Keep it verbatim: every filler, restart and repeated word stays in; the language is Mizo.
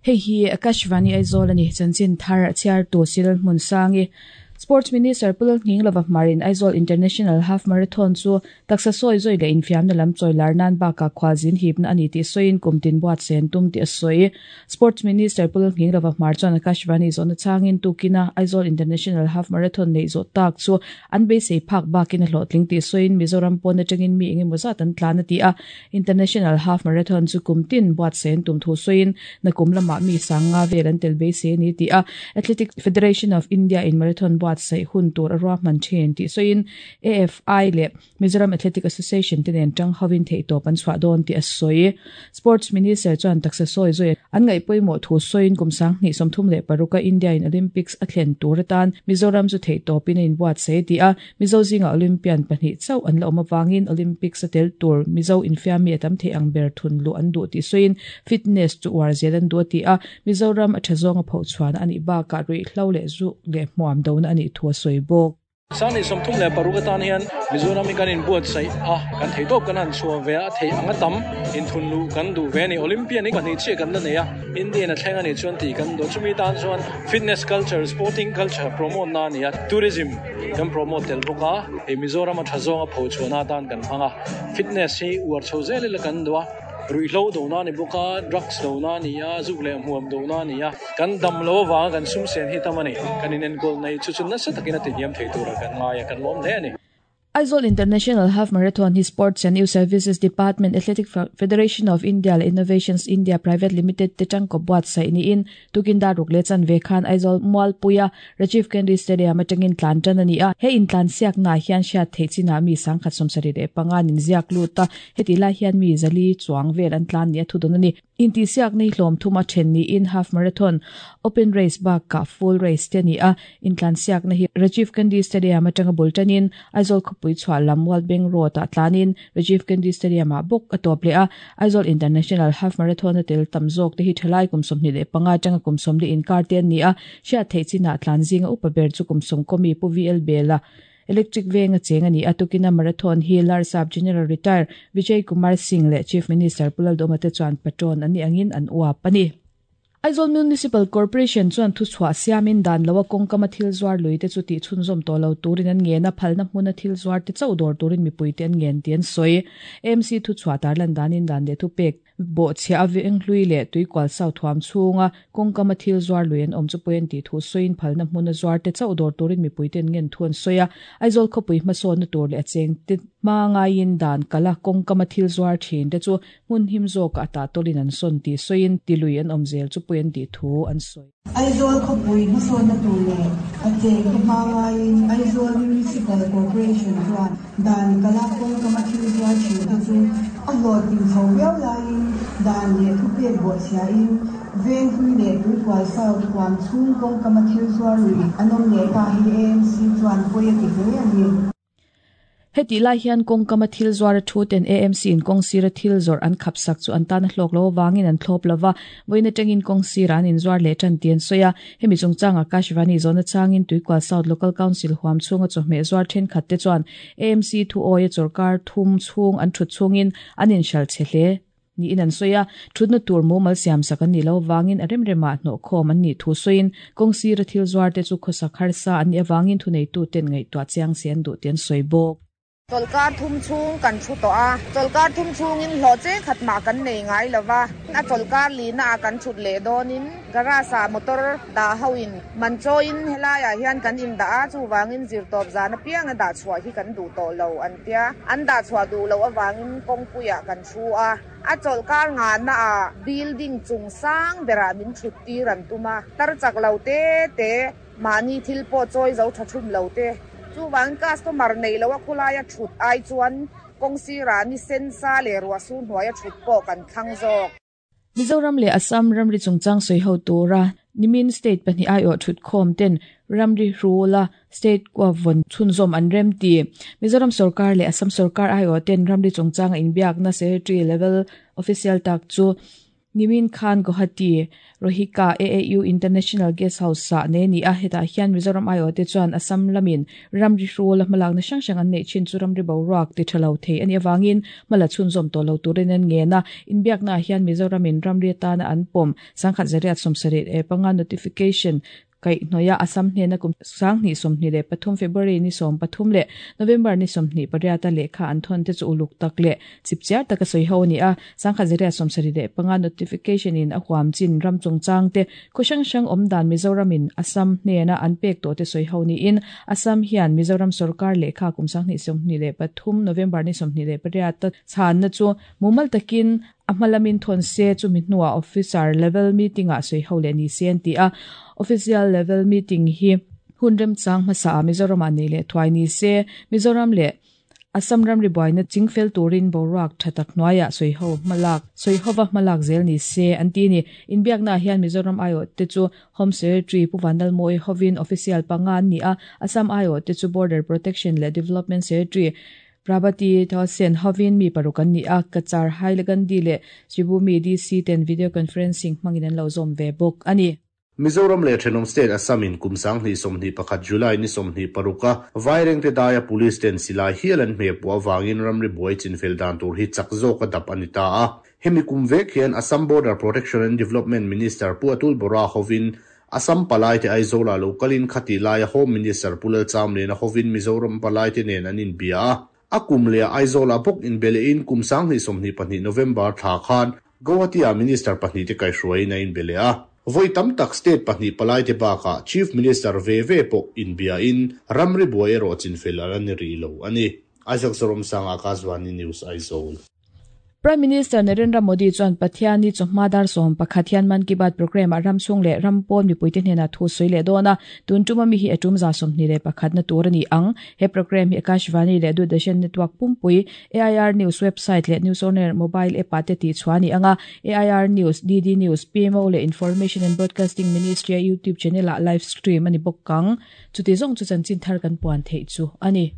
Hei hi Akashvani Aizawl ani chanchin thar chhiar tu sil hmun sangi Sports Minister Pulal Nghinglova Marin Aizawl International Half Marathon chu taksa sawi zoi le infiam na lam chawilar nan baka khwalzin hipna ani ti soin kumtin buat sen tum ti soi Sports Minister Pulal Nghinglova Hmar chuan Akashvani zona changin tukina Aizawl International Half Marathon nei zo tak chu an be sei phak bakin hlotling ti soin Mizoram pon atangin mi engemaw zat an tlan ti a International Half Marathon chu kumtin buat sen tum thu soin na kum lama mi sanga vel an tel be se ni ti a Athletic Federation of India in Marathon buat sei hun tur arwa man chen ti soin A F I le Mizoram Athletic Association tenen tang hawin thei to pan chwa don ti asoi Sports Minister chuan taksa soi zoi an ngai poimo thu soin kumsang ni somthum le paruka India in Olympics athlen tur tan Mizoram chu thei to pin in buat sei ti a Mizo zinga Olympian pahnih chau an la awm awangin Olympics atel tur Mizo infiami atam thei ang ber thun lu an du ti soin fitness chu war zel an du ti a Mizoram a thazonga pho chuan ani ba ka rui hlo le zu le hmuam do na ani thua soi bok Sani somthum le paruka tan hian Mizoram kan in buat sai a kan thei top kan an chua ve a thei anga tam in thun lu kan du ve ni Olympian ni kan che kan la nei a Indian a thleng ani chuan ti kan do chumi tan chuan fitness culture sporting culture promote na ni a tourism kan promote tel boka e Mizoram a thazonga pho chuana tan kan hanga fitness hi uar chho zel le kan do rui hlo do na ni boka drugs do na ni a zuk le hmuam do na ni a kan dam lo wa kan sum sen hi tamani kan in en gol nei chu chu na sa takina ti niam thei tura kan nga ya kan lom le ani Aizawl International Half Marathon hi Sports and Youth Services Department Athletic Federation of India le Innovations India Private Limited te tangko buat sai ni in tukin daruk le chan ve khan Aizawl Mualpuia Rajiv Gandhi Stadium atangin tlan tan ani a he in tlan siak na hian sha theichina mi sangkhat somsari re panga nin ziak lu ta heti la hian mi zali chuang vel an tlan ni thu don ani in ti siak nei hlom thuma then ni in half marathon open race ba ka full race te ni a in tlan siak na hi Rajiv Gandhi Stadium atanga bultanin Aizawl khopui chwa lamwal beng road a tlanin Rajiv Gandhi Stadium a bok atop le a Aizawl International Half Marathon tel tamzok te hi thalai kum somni le panga tanga kum somli in kar ten ni a sha theichina tlan zinga upa ber chu kum som komi pu V L Bela Electric Venga chenga ni atukina marathon hi Larsap General Retire Vijay Kumar Singh le Chief Minister Pulal Domate chuan patron ani angin an uap ani Aizawl Municipal Corporation chuan thu chhuah siamin dan lawa kawngkama thil zuar lui te chu ti chhunzawm tawh lo turin an ngen a phalna hmuna thil zuar te chauh dawr turin mipui te an ngen ti an sawi M C thu chhuah tarlan danin dan le thu pek bo chhia a veng hlui le tuikual sau thuam chhunga kawngkama thil zuar lui an awm chu pawh an ti thu sawiin phalna hmuna zuar te chauh dawr turin mipui te an ngen thu an sawi a Aizawl khawpui hmasawnna tur leh a cheng te hma ngaiin dan kala kawngkama thil zuar thin te chu hmun him zawk a ta tawlin an sawn ti sawiin ti lui an awm zel chu pawh an ti thu an sawi Aizawl khawpui hmasawnna tur leh a cheng te hma ngaiin Aizawl Municipal Corporation chuan dan kala kawngkama thil zuar thin te chu a hlawt tin chho viau laiin dan leh thu pek bawh chhiain veng hlui leh tuikual sau thuam chhung kawngkama thil zuar lui an awm leh ta hi A M C chuan pawi a ti hle ani heti lai hian kawngkama thil zuar a thu ten A M C in kawng sira thil zawrh an khap sak chu an tan a hlawk lo wangin an thlawp lova voina tangin kawng sira an in zuar leh tan ti an sawi a hemi chungchang Akashvani zona changin Tuikual South Local Council huam chhunga chawhmeh zuar thenkhat te chuan A M C thu awi a chawrkar thum chhung an thut chhungin an inhral che hle ni in an sawi a thutna tur mumal siam sak an ni lo wangin a remrema hnawh khawm an ni thu sawiin kawng sira thil zuar te chu khawsak harsa an ni awangin thu nei tu ten ngaihtuah chiang se an duh ti an sawi bawk Chawlkar thum chhung kan thu tawh a chawlkar thum chhungin hlawh che khat mah kan nei ngai lova a chawlkar lina a kan thut leh dawnin garage ah motor dah hoin man chawiin helaiah hian kan in dah a chuwangin zir tawp zan apiang a dah chhuah hi kan duh tawh lo an tia an dah chhuah duh lo awangin kawngpuiah kan thu a a chawlkar nga na a building chung sang berah min thut tir an tum a tar chak lo te te mahni thil pawh chawi zo tha thum lo te chuwang customer nei lo a khulai a thut ai chuan kawngsira ni sensa le ruah su hnuai a thut pawh kan thlang zawk Mizoram le Assam ramri chungchang sawi ho tura nimin state pahnih ai aw thut khawm ten ramri rula state kwa von chhunzawm an rem ti Mizoram sarkar le Assam sarkar ai aw ten ramri chungchang inbiak na secretary level official tak chu Nimin Khan Guwahati Rohika A A U International Guest House sa ne ni a heta hian Mizoram aio te chuan Assam lamin ramri hrul hmalak na sang sang an nei chin chu ramri boruak ti thalo thei ani awangin mala chhun zom to lo turin an nge na inbiak na hian Mizoramin ramri ta na an pom sangkhat zariat somsarit e panga notification kai noya Assam hne na kum sang ni somni le pathum February ni som pathum le November ni somni pariata le kha an thon te chu uluk tak le chipchiar taka soi ho ni a sangkha zeria somsari le panga notification in a huam chin ram chungchang te khushang sang omdan Mizoramin Assam hne na an pek to te soi ho ni in Assam hian Mizoram sarkar le kha kum sang ni somni le pathum November ni somni le pariata chan na chu mumal takin amalamin thon se chu mi hnuah officer level meeting a soi ho le ni sen ti a official level meeting hi hunrem chang hmasa Mizoram ani le thwai ni se Mizoram le Assam ram ri boina chingfel turin boruak thatak noya soi ho malak soi howa malak zel ni se anti ni inbiak na hian Mizoram aio te chu Home Secretary Puvanal Moi hovin official panga ni a Assam aio te chu Border Protection le Development Secretary Prabati Thosen hovin mi parukan ni a kachar Hailagandi le Sibumi D C ten video conferencing manginan lo zom ve bok ani Mizoram le Thenom State Assamin kumsang ni somni pakhat July ni somni paruka vaireng te daya police ten silai hialan me pu awangin ramri buai chinfel dan tur hi chakzo ka dap anita a hemi kumvek hian Assam Border Protection and Development Minister Pu Atul Bora hovin Assam palai te Aizola localin khati lai Home Minister Pulal Chamle na hovin Mizoram palai te nen anin bia akum le Aizola bok in bele in kumsang ni somni pahnih November tha khan Guwahati a Minister pahnih te kai hruai na in bele a voi tam tak state pahnih palai te baka Chief Minister ve ve po in bia in ramri buai ro chinfel an ri lo ani Isaac Zorom sang Akashvani News Aizawl. Prime Minister Narendra Modi chuan Pathiani chawhma som pakhat hian Man Ki Baat program a ramchhung leh rampawn mipuite hnena thu sawi leh dawn a tun tuma mi hi atum za sawmhnih leh pakhat na tur ani ang he program hi Akashvani leh Doordarshan network pumpui A I R News website leh News On Air mobile app ah te tih chhuah ani anga A I R News, D D News, P M O leh Information and Broadcasting Ministry YouTube channel ah live stream ani bawk kang chuti zawng chu chanchin thar kan puan theih chu ani.